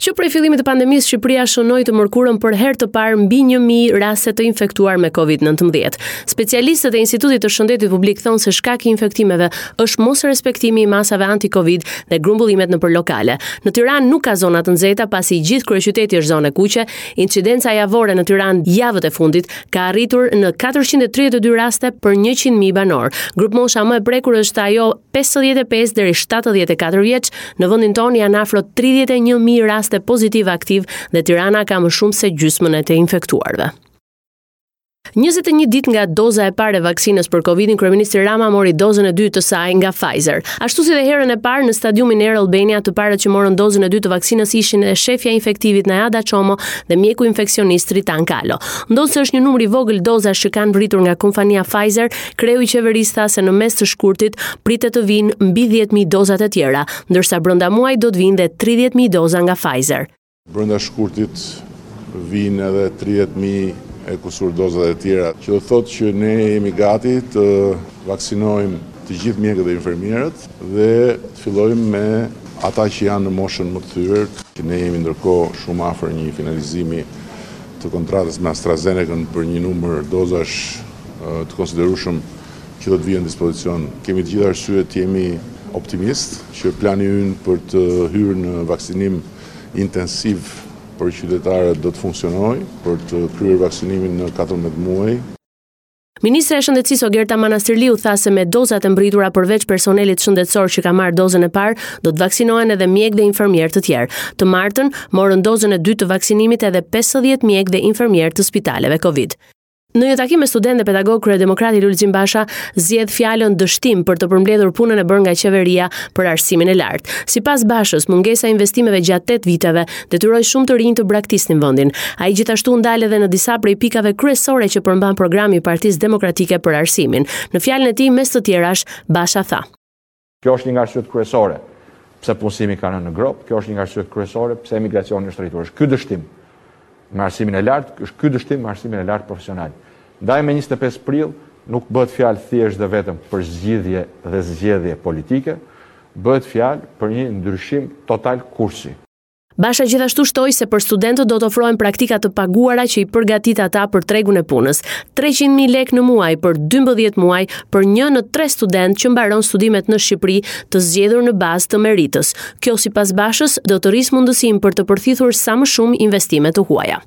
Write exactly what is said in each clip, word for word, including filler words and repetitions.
Që prej fillimit të pandemisë, Shqipëria shënoi të mërkurën për herë të parë mbi një mijë raste të infektuar me Covid nëntëmbëdhjetë. Specialistët e Institutit të Shëndetit Publik thonë se shkak i infektimeve është mosrespektimi i masave anti-Covid dhe grumbullimet nëpër lokale. Në Tiranë nuk ka zona të nxehta, pasi i gjithë kryeqyteti është zonë e kuqe. Incidenca javore në Tiranë javët e fundit ka arritur në katërqind e tridhjetë e dy raste për njëqind mijë banor. Grupmosha më e prekur është ajo pesëdhjetë e pesë deri shtatëdhjetë e katër vjeç. Në vendin tonë janë afro tridhjetë e një mijë raste pozitive aktiv dhe Tirana ka më shumë se gjysmën e të infektuarve. njëzet e një ditë nga doza e parë e vaksinës për Covidin, kryeministri Rama mori dozën e dytë të saj nga Pfizer. Ashtu si dhe herën e parë në stadiumin Air Albania, të parët që morën dozën e dytë të vaksinës ishin edhe shefja e infektivit Najada Çomo dhe mjeku infeksionist Tritan Kalo. Ndonëse është një numër i vogël dozash që kanë vritur nga kompania Pfizer, kreu i qeverisë tha se në mes të shkurtit pritet të vinë mbi dhjetë mijë dozat e tjera, ndërsa brenda muajit do të vinë dhe tridhjetë mijë doza nga Pfizer. Brenda shkurtit vinë edhe tridhjetë mijë e kusur dozat e tjera, që do thotë që ne jemi gati të vaksinojmë të gjithë mjekët dhe infermierët dhe të fillojmë me ata që janë në moshën më të thyer, që ne jemi ndërkohë shumë afër një finalizimi të kontratës me AstraZeneca-n për një numër dozash, ë, të konsiderueshëm që do të vihen në dispozicion. Kemi të gjitha arsyet të jemi optimist që plani ynë për të hyrë në vaksinim intensiv për qytetarët do të funksionojë, për të kryer vaksinimin në katërmbëdhjetë muaj. Ministra e Shëndetësisë Ogerta Manastirliu tha se me dozat e mbritura përveç personelit shëndetësor që ka marrë dozën e parë, do të vaksinohen edhe mjekë dhe infermierë të tjerë. Të martën morën dozën e dytë të vaksinimit edhe pesëdhjetë mjekë dhe infermierë të spitaleve Covid. Në një takim me studentë dhe pedagogë, kryedemokrati Lulzim Basha zgjedh fjalën dështim për të përmbledhur punën e bërë nga qeveria për arsimin e lartë. Sipas Bashës, mungesa e investimeve gjatë tetë viteve detyroi shumë të rinj të braktisnin vendin. Ai gjithashtu u ndal edhe në disa prej pikave kryesore që përmban programi i Partisë Demokratike për arsimin. Në fjalën e tij, mes të tjerash, Basha tha: Kjo është një nga arsyet kryesore pse punësimi ka rënë në gropë, kjo është një nga arsyet kryesore pse emigracioni është rritur. Është ky dështim me arsimin e lartë, është ky dështim me arsimin e lartë profesional. Ndaj me njëzet e pesë prill nuk bëhet fjalë thjesht dhe vetëm për zgjidhje dhe zgjedhje politike, bëhet fjalë për një ndryshim total kursi. Basha gjithashtu shtoi se për studentët do të ofrohen praktika të paguara që i përgatit ata për tregun e punës. treqind mijë lekë në muaj për dymbëdhjetë muaj për një në tre student që mbaron studimet në Shqipëri të zgjedhur në bazë të meritës. Kjo sipas Bashës do të rrisë mundësinë për të përthithur sa më shumë investime të huaja.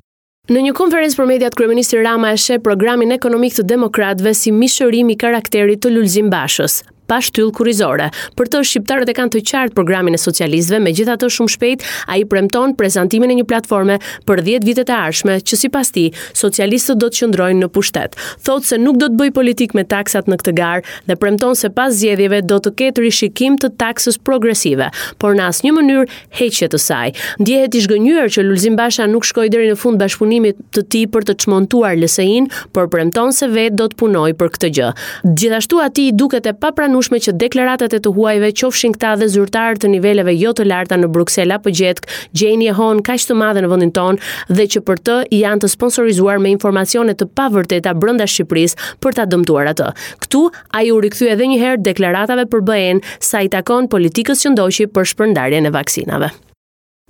Në një konferencë për mediat, kryeministri Rama e sheh programin ekonomik të demokratëve si mishërim i karakterit të Lulzim Bashës, pa shtyllë kurrizore. Për të, shqiptarët e kanë të qartë programin e socialistëve, megjithatë shumë shpejt ai premton prezantimin e një platforme për dhjetë vitet e ardhshme që sipas tij socialistët do të qëndrojnë në pushtet. Thotë se nuk do të bëjë politikë me taksat në këtë garë dhe premton se pas zgjedhjeve do të ketë rishikim të taksës progresive, por në asnjë mënyrë heqje të saj. Ndjehet i zhgënjyer që Lulzim Basha nuk shkoi deri në fund bashkëpunimit të tij për të çmontuar L S I-n, por premton se vetë do të punojë për këtë gjë. Gjithashtu atij i duket e papranueshme që deklaratat e të huajve, qofshin këta dhe zyrtarë të niveleve jo të larta në Bruksel apo gjetkë, gjejnë jehon kaq të madhe në vendin tonë dhe që për të janë të sponsorizuar me informacione të pavërteta brenda Shqipërisë për ta dëmtuar atë. Këtu ai u rikthye edhe një herë deklaratave për B E-n sa i takon politikës që ndoqi për shpërndarjen e vaksinave.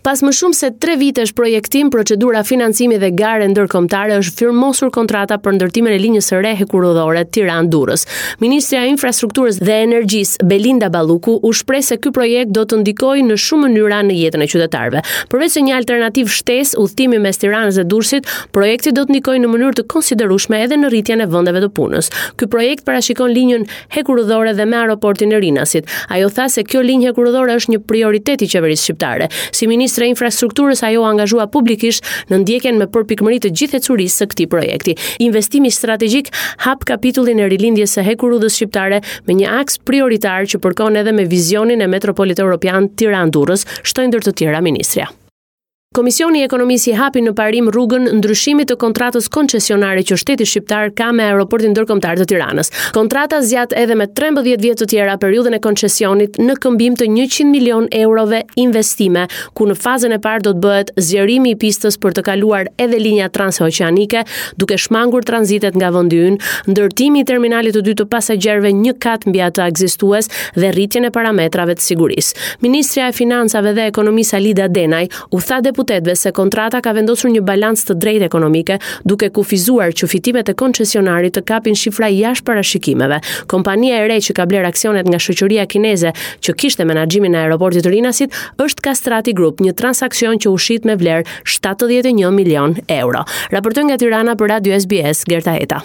Pas më shumë se tre vitesh projektim, procedura financimi dhe gare ndërkombëtare është firmosur kontrata për ndërtimin e linjës së re hekurudhore Tiranë-Durrës. Ministrja e Infrastrukturës dhe Energjisë Belinda Balluku u shpreh se ky projekt do të ndikojë në shumë mënyra në jetën e qytetarëve. Përveç se një alternativë shtesë udhëtimi mes Tiranës dhe Durrësit, projekti do të ndikojë në mënyrë të konsiderueshme edhe në rritjen e vendeve të punës. Ky projekt parashikon linjën hekurudhore dhe me aeroportin e Rinasit. Ajo tha se kjo linjë hekurudhore është një prioritet i qeverisë shqiptare. Si ministre e Infrastrukturës, ajo u angazhua publikisht në ndjekjen me përpikmëri të gjithë ecurisë së këtij projekti. Investimi strategjik hap kapitullin e rilindjes së hekurudhës shqiptare me një aks prioritar që përkon edhe me vizionin e metropolit evropian Tiranë-Durrës, shtoi ndër të tjera ministrja. Komisioni i Ekonomisë i hapi në parim rrugën ndryshimit të kontratës koncesionare që shteti shqiptar ka me aeroportin ndërkombëtar të Tiranës. Kontrata zgjat edhe me trembëdhjetë vjet të tjera periudhën e koncesionit në këmbim të njëqind milion eurove investime, ku në fazën e parë do të bëhet zgjerimi i pistës për të kaluar edhe linja transoceanike, duke shmangur tranzitet nga vendi ynë, ndërtimi i terminalit të dytë të pasagjerëve një kat mbi atë ekzistues dhe rritjen e parametrave të sigurisë. Ministrja e Financave dhe Ekonomisë Alida Denaj u tha deputetëve deputetëve se kontrata ka vendosur një balancë të drejtë ekonomike, duke kufizuar që fitimet e koncesionarit të kapin shifra jashtë parashikimeve. Kompania e re që ka bler aksionet nga shoqëria kineze që kishte menaxhimin e aeroportit të Rinasit është Kastrati Group, një transaksion që u shit me vlerë shtatëdhjetë e një milion euro. Raportoi nga Tirana për Radio S B S, Gerta Heta.